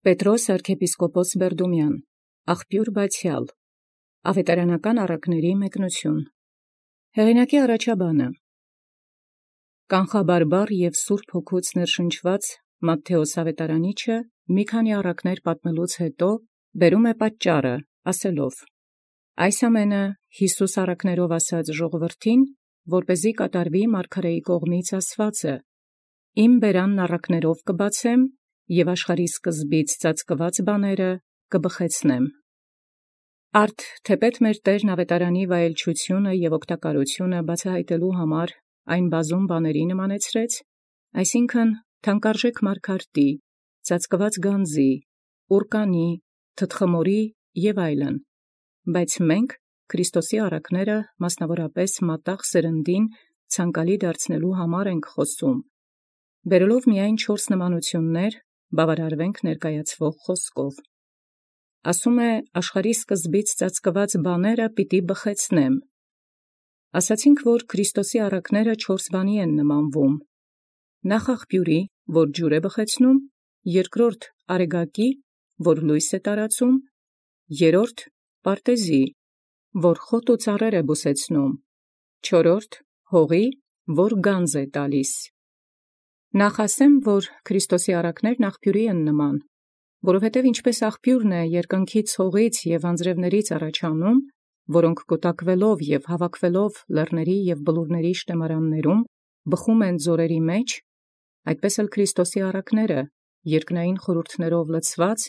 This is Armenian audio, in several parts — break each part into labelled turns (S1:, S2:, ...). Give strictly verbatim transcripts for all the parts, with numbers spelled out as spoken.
S1: Պետրոս arczepiskopos Բերդումյան, աղբյուր բացեալ, ավետարանական առակների մեկնություն։ Հեղինակի առաջաբանը կանխաբարբար և սուրբ հոգուց ներշնչված Մատթեոս ավետարանիչը մի քանի առակներ պատմելուց հետո բերում է պատճառը, ասելով. «Այս ամենը Յիսուս առակներով ասաց ժողովրդին, որպեսզի կատարվի մարգարեի կողմից ասվածը. իմ բերանն առակներով կբացեմ, և աշխարհի սկզբից ծածկված բաները կբխեցնեմ»։ Արդ թեպետ մեր Տերն ավետարանի վայելչությունը և օգտակարությունը բացահայտելու համար այն բազում բաների նմանեցրեց, այսինքն թանկարժեք մարգարտի, ծածկված գանձի, ուռկանի, թտխմորի և այլն, բայց մենք Քրիստոսի առակները մասնավորապես մատաղ սերնդին ցանկալի դարձնելու համար ենք խոսում, բերելով միայն չորս նմանություններ, բավարարվենք ներկայացվող խոսքով։ Ասում է աշխարհի սկզբից ծածկված բաները պիտի բխեցնեմ։ Ասացինք, որ Քրիստոսի առակները չորս բանի են նմանվում. նախ աղբյուրի, որ ջուր է բխեցնում, երկրորդ արեգակի, որ լույս է տարածում, երրորդ պարտեզի, որ խոտ ու ծառեր է բուսեցնում, չորրորդ հողի, որ գանձ է տալիս։ Նախ ասեմ, որ Քրիստոսի առակներն աղբյուրի են նման, որովհետև ինչպես աղբյուրն է երկնքից հողից և անձրևներից առաջանում, որոնք կուտակվելով և հավաքվելով լեռների և բլուրների շտեմարաններում բխում են ձորերի մեջ, այդպես էլ Քրիստոսի առակները երկնային խորհուրդներով լցված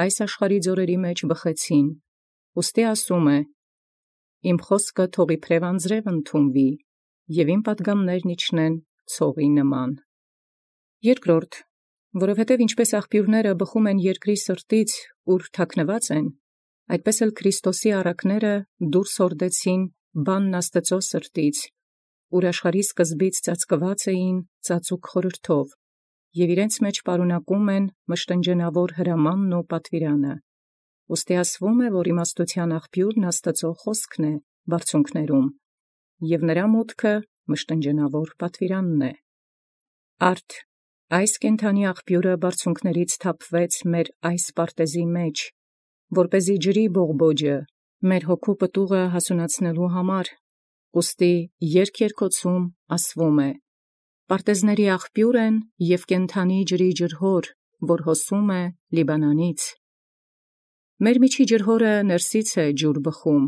S1: այս աշխարհի ձորերի մեջ բխեցին, ուստի ասում է. «Իմ խոսքը թող իբրև անձրև ընդունվի, և իմ պատգամներն իջնեն ցողի նման»։ Երկրորդ, որովհետև ինչպես աղբյուրները բխում են երկրի սրտից, ուր թաքնված են, այդպես էլ Քրիստոսի առակները դուրս հորդեցին բանն Աստծու սրտից, ուր աշխարհի սկզբից ծածկված էին ծածուկ խորհրդով, և իրենց մեջ պարունակում են մշտնջենավոր հրամանն ու պատվիրանը, ուստի ասվում է, որ իմաստութեան աղբյուրն Աստծու խոսքն է բարձունքներում, և նրա մուտքը մշտնջենավոր պատվիրանն է։ Արդ այս կենդանի աղբյուրը բարձունքներից թափվեց մեր այս պարտեզի մեջ, որպեսզի ջրի բողբոջը մեր հոգու պտուղը հասունացնելու համար, ուստի երգերգոցում ասվում է. «Պարտեզների աղբյուր են և կենդանի ջրի ջրհոր, որ հոսում է Լիբանանից»։ Մեր միջի ջրհորը ներսից է ջուր բխում,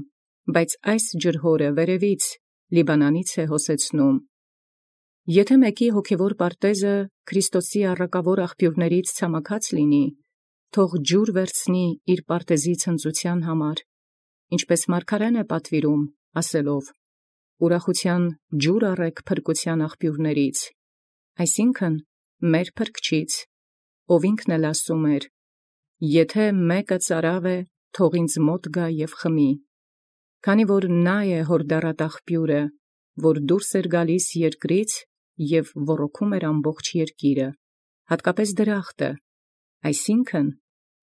S1: բայց այս ջրհորը վերևից Լիբանանից է հոսեցնում։ Եթե մեկի հոգևոր պարտեզը Քրիստոսի առակավոր աղբյուրներից ցամաքած լինի, թող ջուր վերցնի իր պարտեզի ցնծութեան համար, ինչպես մարգարեն է պատվիրում, ասելով. «Ուրախութեան ջուր առէք փրկութեան աղբյուրներից», այսինքն մեր Փրկչից, ով ինքն էլ ասում էր. «Եթե մեկը ծարավ է, թող ինձ մոտ գա և խմի, քանի որ նա է հորդառատ աղբյուրը, որ դուրս էր գալիս երկրից և ոռոգում էր ամբողջ երկիրը, հատկապես դրախտը, այսինքն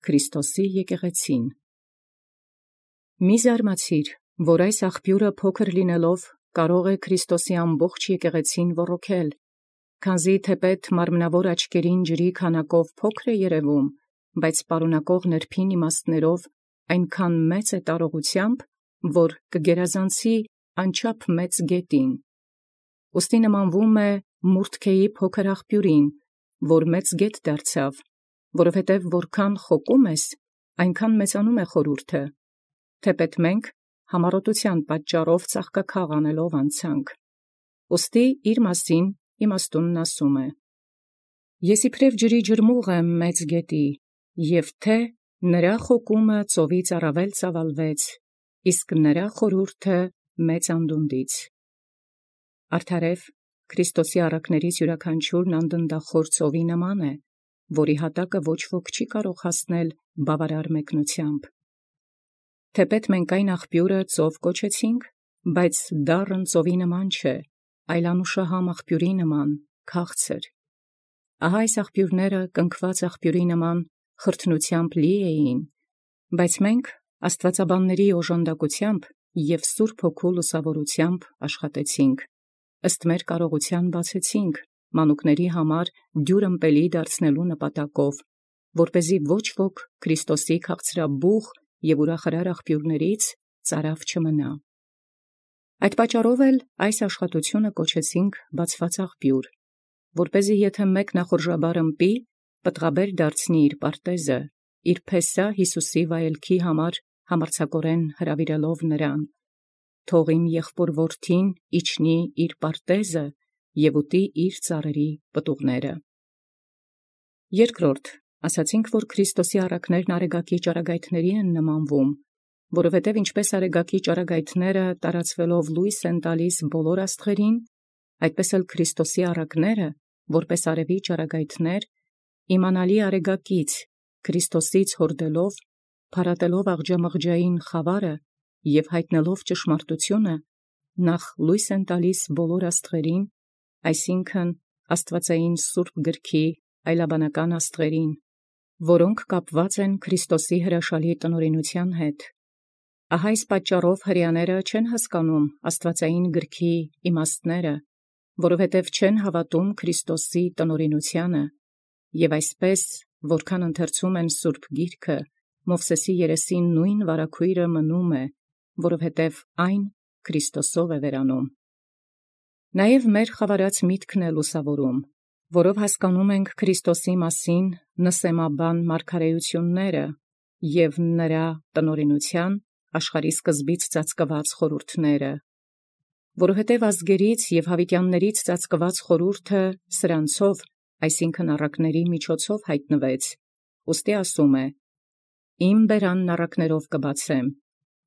S1: Քրիստոսի եկեղեցին»։ Մի զարմացիր, որ այս աղբյուրը փոքր լինելով կարող է Քրիստոսի ամբողջ եկեղեցին ոռոգել, քանզի թեպետ մարմնավոր աչքերին ջրի քանակով փոքր է երևում, բայց պարունակող նրբին իմաստներով այնքան մեծ է տարողությամբ, որ կգերազանցի անչափ մեծ գետին։ Ուստի նմանվում է Մուրթքեի փոքր աղբյուրին, որ մեծ գետ դարձավ, որովհետև որքան խոկում ես, այնքան մեծանում է խորհուրդը, թեպետ մենք համառոտութեան պատճառով ծաղկաքաղ անելով անցանք։ Ուստի իր մասին իմաստունն ասում է. «Ես իբրև ջրի ջրմուղ եմ մեծ գետի, և թե նրա խոկումը ծովից առավել ծավալվեց, իսկ նրա խորհուրդը մեծ անդունդից»։ Արդարև Քրիստոսի առակներից յուրաքանչյուրն անդնդախոր ծովի նման է, որի հատակը ոչ ոք չի կարող հասնել բավարար մեկնությամբ։ Թեպետ մենք այն աղբյուրը ծով կոչեցինք, բայց դառն ծովի նման չէ, այլ անուշահամ աղբյուրի նման, քաղցր։ Ահա այս աղբյուրները կնքված աղբյուրի նման խրթնությամբ լի էին, բայց մենք աստվածաբանների օժանդակությամբ և Սուրբ Հոգու լուսավորությամբ աշխատեցինք, ըստ մեր կարողութեան բացեցինք մանուկների համար դյուր ըմպելի դարձնելու նպատակով, որպեսզի ոչ ոք Քրիստոսի քաղցրաբուխ և ուրախարար աղբյուրներից ծարավ չմնա։ Այդ պատճառով էլ այս աշխատութիւնը կոչեցինք բացված աղբյուր, որպեսզի եթէ մեկ նախորժաբար ըմպի, պտղաբեր դարձնի իր պարտեզը, իր փեսա Յիսուսի վայելքի համար համարձակորեն հրավիրելով նրան, թող իմ եղբոր որդին իջնի իր պարտեզը և ուտի իր ծառերի պտուղները։ Երկրորդ, ասացինք, որ Քրիստոսի առակներն արեգակի ճառագայթների են նմանվում, որովհետև ինչպես արեգակի ճառագայթները տարածվելով լույս են տալիս բոլոր աստղերին, այդպես էլ Քրիստոսի առակները, որպես արևի ճառագայթներ, իմանալի արեգակից, Քրիստոսից հորդելով, փարատելով աղջամղջային խավարը և հայտնելով ճշմարտությունը, նախ լույս են տալիս բոլոր աստղերին, այսինքն աստվածային սուրբ գրքի այլաբանական աստղերին, որոնք կապված են Քրիստոսի հրաշալի տնօրինութեան հետ։ Ահա այս պատճառով հրեաները չեն հասկանում աստվածային գրքի իմաստները, որովհետև չեն հավատում Քրիստոսի տնօրինությանը, և այսպես, որքան ընթերցում են սուրբ գիրքը, Մովսեսի երեսին նույն վարագոյրը մնում է, որովհետև այն Քրիստոսով է վերանում։ Նաև մեր խավարած միտքն է լուսավորում, որով հասկանում ենք Քրիստոսի մասին նսեմաբան մարգարեությունները և նրա տնօրինութեան աշխարհի սկզբից ծածկված խորհուրդները, որովհետև ազգերից և հավիտյաններից ծածկված խորհուրդը սրանցով, այսինքն առակների միջոցով հայտնվեց, ուստի ասում է. «Իմ բերանն առակներով կբացեմ,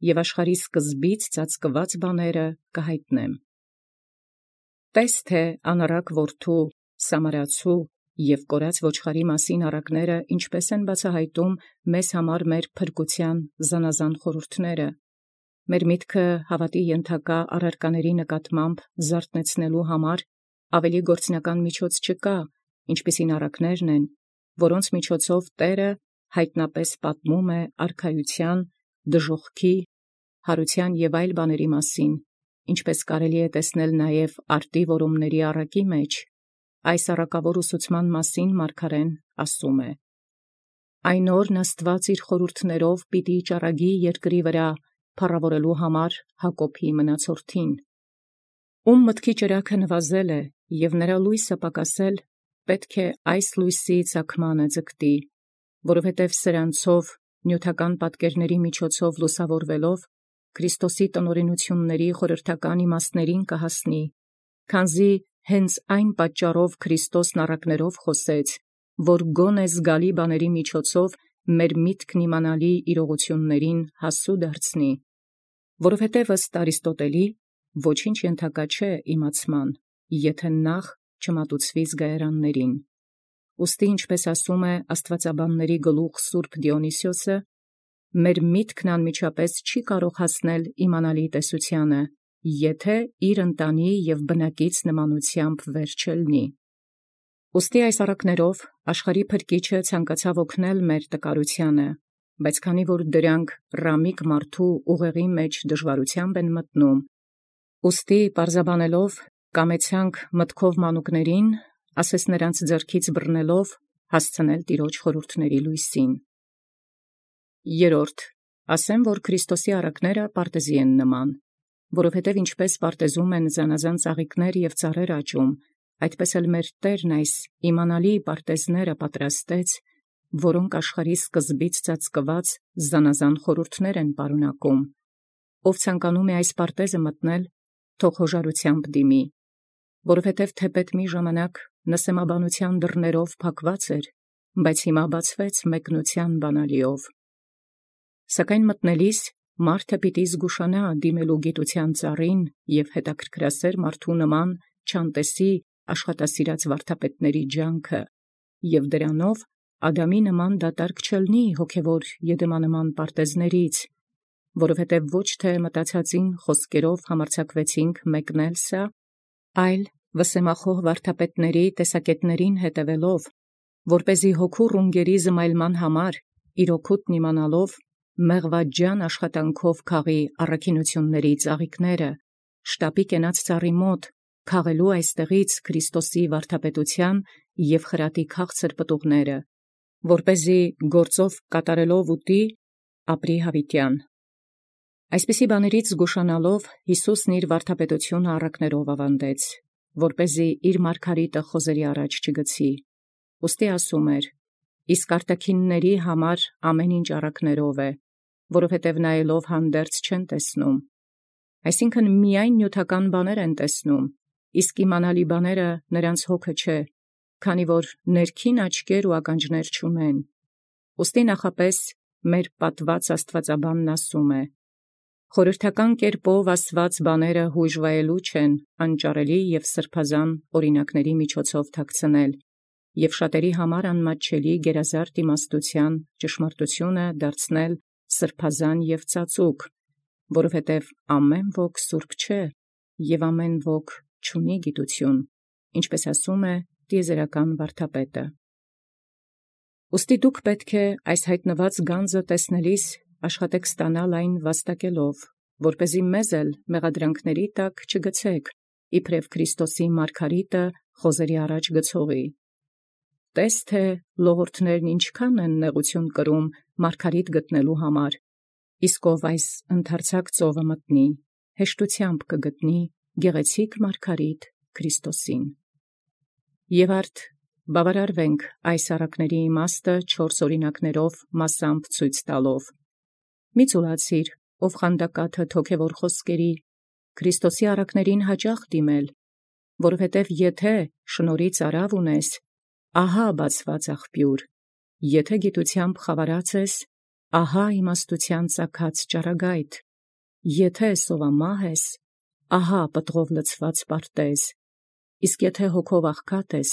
S1: և աշխարհի սկզբից ծածկված բաները կհայտնեմ»։ Տես թե անառակ որդու, սամարացու և կորած ոչխարի մասին առակները ինչպես են բացահայտում մեզ համար մեր փրկության զանազան խորհուրդները, մեր միտքը հավատի ենթակա առարկաների նկատմամբ զարթնեցնելու համար ավելի գործնական միջոց չկա, ինչպիսին առակներն են, որոնց միջոցով Տէրը հայտնապես պատմում է արքայության, դժոխքի, հարության և այլ բաների մասին, ինչպես կարելի է տեսնել նաև արտի որումների առակի մեջ, այս առակավոր ուսուցման մասին մարգարեն ասում է. «Այն օրն Աստուած իր խորհուրդներով պիտի ճառագի երկրի վրա, փառաւորելու համար Յակոբի մնացորդին, ում մտքի ճրագը նվազել է, և նրա լույսը պակասել, պետք է այս լույսի ծագմանը ձգտի, որովհետև սրանցով նիւթական պատկերների միջոցով լուսավորվելով Քրիստոսի տնօրինութիւնների խորհրդական իմաստներին կհասնի, քանզի հենց այն պատճառով Քրիստոսն առակներով խոսեց, որ գոնե զգալի բաների միջոցով մեր միտքն իմանալի իրողություններին հասու դարձնի, որովհետև ըստ Արիստոտելի ոչինչ ենթակա չէ իմացման, եթէ նախ չմատուցվի զգայարաններին։ Ուստի ինչպես ասում է աստվածաբանների գլուխ Սուրբ Դիոնիսիոսը, մեր միտքն անմիջապես չի կարող հասնել իմանալի տեսությանը, եթէ իր ընտանի և բնակից նմանութեամբ վեր չելնի։ Ուստի այս առակներով աշխարհի փրկիչը ցանկացավ օգնել մեր տկարութիանը, բայց քանի որ դրանք ռամիկ մարդու ուղեղի մեջ դժվարութեամբ են մտնում, ուստի պարզաբանելով կամեցանք մտքով մանուկներին, ասես նրանց ձեռքից բռնելով, հասցնել տիրոջ խորհուրդների լույսին։ Երորդ, ասեմ, որ Քրիստոսի առակները պարտեզի են նման, որովհետև ինչպես պարտեզում են զանազան ծաղիկներ և ծառեր աճում, այդպես էլ մեր Տերն այս իմանալի պարտեզները պատրաստեց, որոնք աշխարհի սկզբից ծածկված զանազան խորհուրդներ են պարունակում։ Ով ցանկանում է այս պարտեզը մտնել, թող հոժարութեամբ դիմի, որովհետև թեպետ մի ժամանակ նսեմաբանության դռներով փակված էր, բայց հիմա բացվեց մեկնության բանալիով։ Սակայն մտնելիս մարդը պիտի զգուշանա դիմելու գիտության ծառին և հետաքրքրասեր մարդու նման չանտեսի աշխատասիրած վարդապետների ջանքը, և դրանով Ադամի նման դատարկ չելնի հոգևոր եդեմանման պարտեզներից, որովհետև ոչ թե մտածածին խոսքերով համարձակվեցինք մեկնել սա, այլ վսեմախոհ վարդապետների տեսակետներին հետևելով, որպեսզի հոգու ռունգերի զմայլման համար իր օգուտն իմանալով մեղվաջան աշխատանքով քաղի առաքինությունների ծաղիկները, շտապի կենաց ծառի մոտ, քաղելու այստեղից Քրիստոսի վարդապետության և խրատի քաղցր պտուղները, որպեսզի գործով կատարելով ուտի ապրի հավիտյան։ Այսպիսի բաներից զգուշանալով Յիսուսն իր վարդապետությունը առակներով ավանդեց, որպեսզի իր մարգարիտը խոզերի առաջ չգցի։ Ուստի ասում էր. իսկ արտաքինների համար ամեն ինչ առակներով է, որովհետև նայելով հանդերձ չեն տեսնում։ Այսինքն միայն նյութական բաներ են տեսնում, իսկ իմանալի բաները նրանց հոգը չէ, քանի որ ներքին աչքեր ու ականջներ չունեն։ Ուստի նախապես մեր պատված աստվածաբանն ասում է. խորհրդական կերպով ասված բաները հույժվայելու չեն անճարելի և սրբազան օրինակների միջոցով թաքցնել, և շատերի համար անմատչելի գերազարդ իմաստության ճշմարտությունը դարձնել սրբազան և ծածուկ, որովհետև ամեն ոք սուրբ չէ, և ամեն ոք չունի գիտություն, ինչպես ասում է տիեզերական վարդապետը։ Ուստի դուք պետք է այս հայտնված գանձը տեսնելիս աշխատեք ստանալ այն վաստակելով, որպեսզի մեզ էլ մեղադրանքների տակ չգցեք, իբրև Քրիստոսի մարգարիտը խոզերի առաջ գցողի։ Տես թե լողորդներն ինչքան են նեղություն կրում մարգարիտ գտնելու համար, իսկ ով այս ընդարձակ ծովը մտնի, հեշտությամբ կգտնի գեղեցիկ մարգարիտ Քրիստոսին։ Եվ արդ բավարարվենք այս առակների իմաստը չորս օրինակներով մասամբ ցույց տալով։ Մի ծուլացիր, ով խանդակաթը հոգևոր խոսքերի, Քրիստոսի առակներին հաճախ դիմել, որովհետև եթե շնորհից արավ ունես, ահա բացված աղբյուր, եթե գիտությամբ խավարած ես, ահա իմաստության ծագած ճառագայթ, եթե սովամահ ես, ահա պտղով լցված պարտեզ, իսկ եթե հոգով աղքատ ես,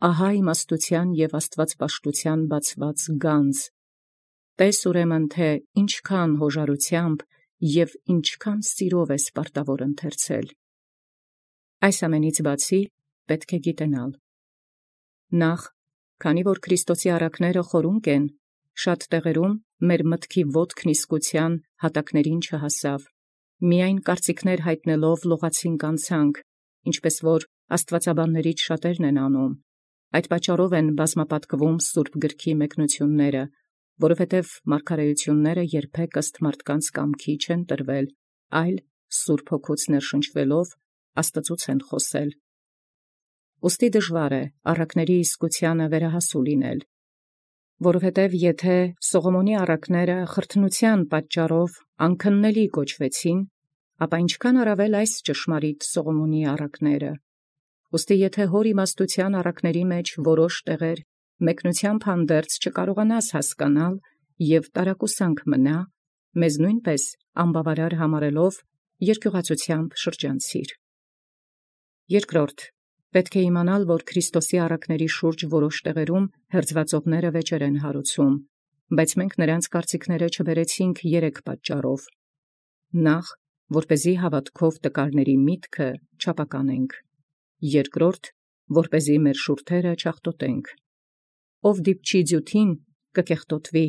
S1: ահա իմաստության և աստվածպաշտության բացված գանձ։ Տես ուրեմն թե ինչքան հոժարությամբ և ինչքան սիրով ես պարտավոր ընթերցել։ Այս ամենից բացի պետք է գիտենալ. նախ, քանի որ Քրիստոսի առակները խորունկ են, շատ տեղերում մեր մտքի ոտքն իսկության հատակներին չհասավ, միայն կարծիքներ հայտնելով լողացինք անցանք, ինչպես որ աստվածաբաններից շատերն են անում, այդ պատճառով են բազմապատկվում Սուրբ գրքի մեկնությունները, որովհետև մարգարեությունները երբեք ըստ մարդկանց կամքի չեն տրվել, այլ Սուրբ Հոգուց ներշնչվելով Աստծուց են խոսել։ Ուստի դժվար է առակների իսկությանը վերահասու լինել, որովհետև եթե Սողոմոնի առակները խրթնության պատճառով անքննելի կոչվեցին, ապա ինչքան առավել այս ճշմարիտ Սողոմոնի առակները։ Ուստի եթե հոր իմաստության առակների մեջ որոշ տեղեր մեկնությամբ հանդերձ չկարողանաս հասկանալ և տարակուսանք մնա, մեզ նույնպես անբավարար համարելով երկյուղածությամբ շրջանցիր։ Երկրորդ, պետք է իմանալ, որ Քրիստոսի առակների շուրջ որոշ տեղերում հերձվածողները վեճեր են հարուցում, բայց մենք նրանց կարծիքները չբերեցինք երեք պատճառով. նախ, որպեսզի հավատքով տկարների միտքը չապականենք, երկրորդ, որպեսզի մեր շուրթերը չաղտոտենք։ Ով դիպչի ձյութին կկեղտոտվի,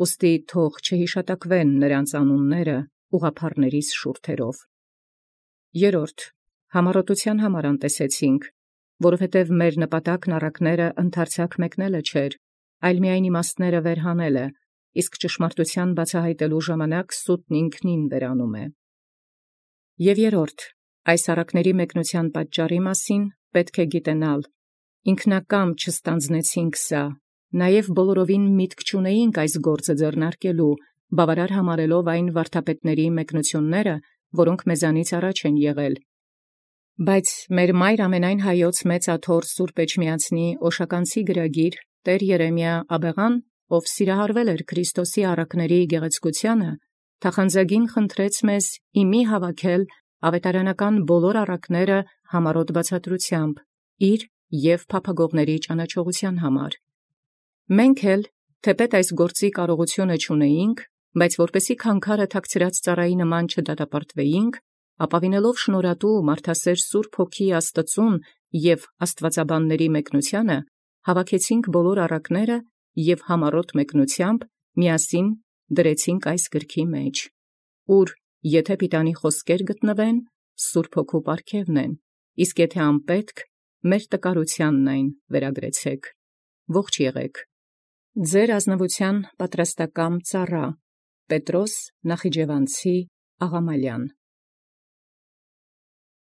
S1: ուստի թող չհիշատակվեն նրանց անունները ուղղափառներիս շուրթերով։ Երորդ, համառոտության համար անտեսեցինք, որովհետև մեր նպատակն առակները ընդարձակ մեկնելը չէր, այլ միայն իմաստները վերհանելը, իսկ ճշմարտության բացահայտելու ժամանակ սուտն ինքնին վերանում է։ Եվ երորդ, այս առակների մեկնության պատճառի մասին պետք է գիտենալ, ինքնակամ չստանձնեցինք սա, նաև բոլորովին միտք չունեինք այս գործը ձեռնարկելու, բավարար համարելով այն վարդապետների մեկնությունները, որոնք մեզանից առաջ են եղել։ Բայց մեր մայր ամենայն հայոց մեծ աթոռ Սուրբ Էջմիածնի օշականցի գրագիր Տեր Երեմիա Աբեղան, ով սիրահարվել էր Քրիստոսի առակների գեղեցկությանը, թախանձագին խնդրեց մեզ իմի հավաքել ավետարանական բոլոր առակները համառոտ բացատրությամբ, իր և փափագողների ճանաչողության համար։ Մենք էլ, թեպետ այս գործի կարողությունը չունեինք, բայց որպեսի քանքարը թաքցրած ծառայի նման չդատապարտվեինք, ապավինելով շնորհատու մարդասեր Սուրբ Հոգի Աստծուն և աստվածաբանների մեկնությանը, հավաքեցինք բոլոր առակները և համառոտ մեկնությամբ միասին դրեցինք այս գրքի մեջ, ուր եթե պիտանի խոսքեր գտնվեն, Սուրբ Հոգու պարգևն են, իսկ եթե անպետք, մեր տկարությանն այն վերագրեցեք։ Ողջ եղեք։ Ձեր ազնուականութեան պատրաստակամ ծառայ Պետրոս Նախիջևանցի Աղամալյան։